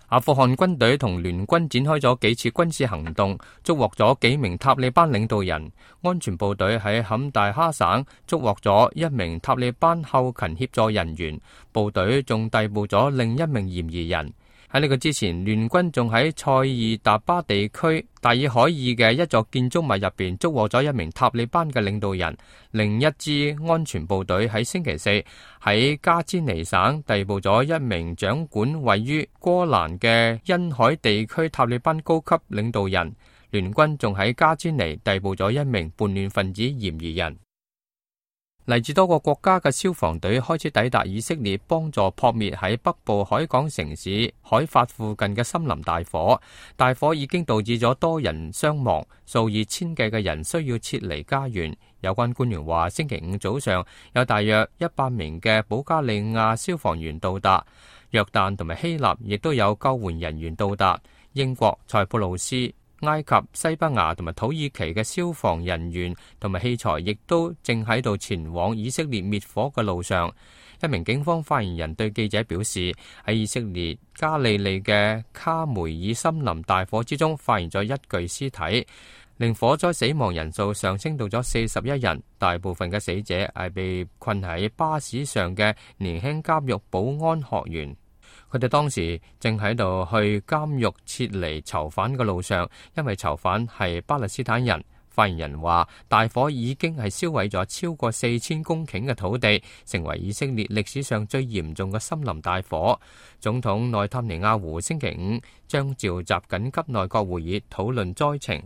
阿富汗軍隊同聯軍展開咗幾次軍事行動，捉獲咗幾名塔利班領導人。安全部隊喺坎大哈省捉獲咗一名塔利班後勤協助人員，部隊仲逮捕咗另一名嫌疑人。喺呢個之前，聯軍仲喺塞爾達巴地區大爾海爾嘅一座建築物入邊捉獲咗一名塔利班嘅領導人。另一支安全部隊喺星期四喺加茲尼省逮捕咗一名掌管位於戈蘭嘅恩海地區塔利班高級領導人。聯軍仲喺加茲尼逮捕咗一名叛亂分子嫌疑人。嚟自多個國家嘅消防隊開始抵達以色列，幫助撲滅喺北部海港城市海法附近嘅森林大火。大火已經導致咗多人傷亡，數以千計嘅人需要撤離家園。有關官員話，星期五早上有大約100名嘅保加利亞消防員到達，約旦同埋希臘亦都有救援人員到達。英國、塞浦路斯、埃及、西班牙同埋土耳其嘅消防人員同埋器材亦都正喺度前往以色列滅火嘅路上。一名警方發言人對記者表示，喺以色列加利利嘅卡梅爾森林大火之中發現咗一具屍體，令火災死亡人數上升到咗41人。大部分嘅死者係被困喺巴士上嘅年輕監獄保安學員。佢哋當時正喺度去監獄撤離囚犯嘅路上，因為囚犯係巴勒斯坦人。發言人話，大火已經係燒毀咗超過4000公頃嘅土地，成為以色列歷史上最嚴重嘅森林大火。總統內塔尼亞胡星期五將召集緊急內閣會議討論災情。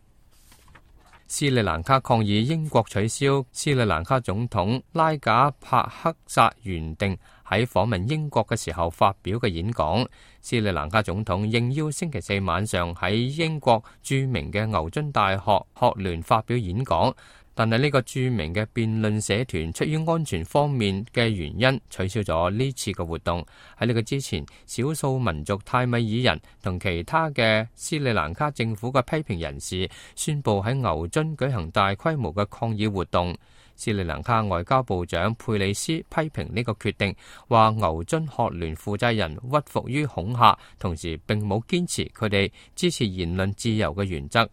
斯里蘭卡抗議英國取消斯里蘭卡總統拉賈帕克薩原定喺訪問英國嘅時候發表嘅演講。斯里蘭卡總統應邀星期四晚上喺英國著名嘅牛津大學學聯發表演講，但係呢個著名嘅辯論社團出於安全方面嘅原因取消咗呢次嘅活動。喺呢個之前，少數民族泰米爾人同其他嘅斯里蘭卡政府嘅批評人士宣布喺牛津舉行大規模嘅抗議活動。斯里蘭卡外交部長佩里斯批評呢個決定，話牛津學聯負責人屈服於恐嚇，同時並冇堅持佢哋支持言論自由嘅原則。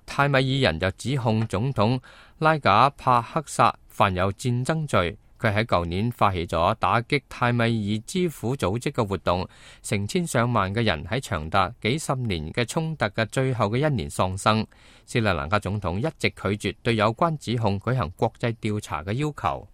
泰米爾人就指控總統拉賈帕克薩犯有戰爭罪。佢喺舊年發起咗打擊泰米爾之苦組織嘅活動，成千上萬嘅人喺長達幾十年嘅衝突嘅最後嘅一年喪生。斯里蘭卡總統一直拒絕對有關指控舉行國際調查嘅要求。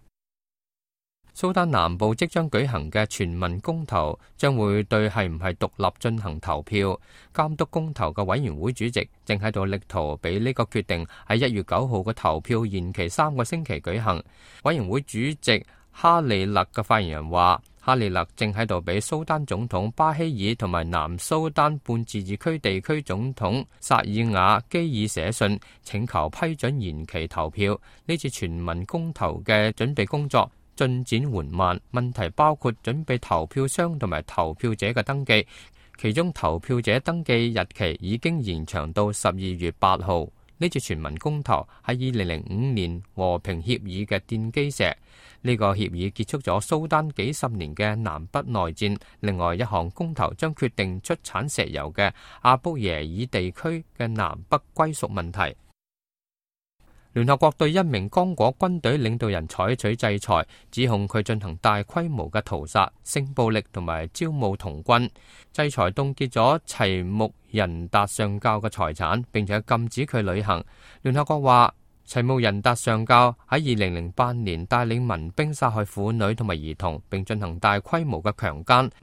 蘇丹南部即將舉行嘅全民公投將會對係唔係獨立進行投票。監督公投嘅委員會主席正喺度力圖俾呢個決定喺1月9號嘅投票延期3個星期舉行。委員會主席哈利勒嘅發言人話，哈利勒正喺度俾蘇丹總統巴希爾同埋南蘇丹半自治區地區總統薩爾瓦基爾寫信，請求批准延期投票。呢次全民公投嘅準備工作進展緩慢，問題包括準備投票箱同埋投票者嘅登記，其中投票者登記日期已經延長到12月8號。呢次全民公投係2005年和平協議嘅奠基石，呢個協議結束咗蘇丹幾十年嘅南北內戰。另外一項公投將決定出產石油嘅阿卜耶爾地區嘅南北歸屬問題。聯合國對一名剛果軍隊領導人採取制裁，指控佢進行大規模嘅屠殺、性暴力同埋招募童軍。制裁凍結咗齊木仁達上校嘅財產，並且禁止佢旅行。聯合國話，齊木仁達上校喺2008年帶領民兵殺害婦女同埋兒童，並進行大規模嘅強姦。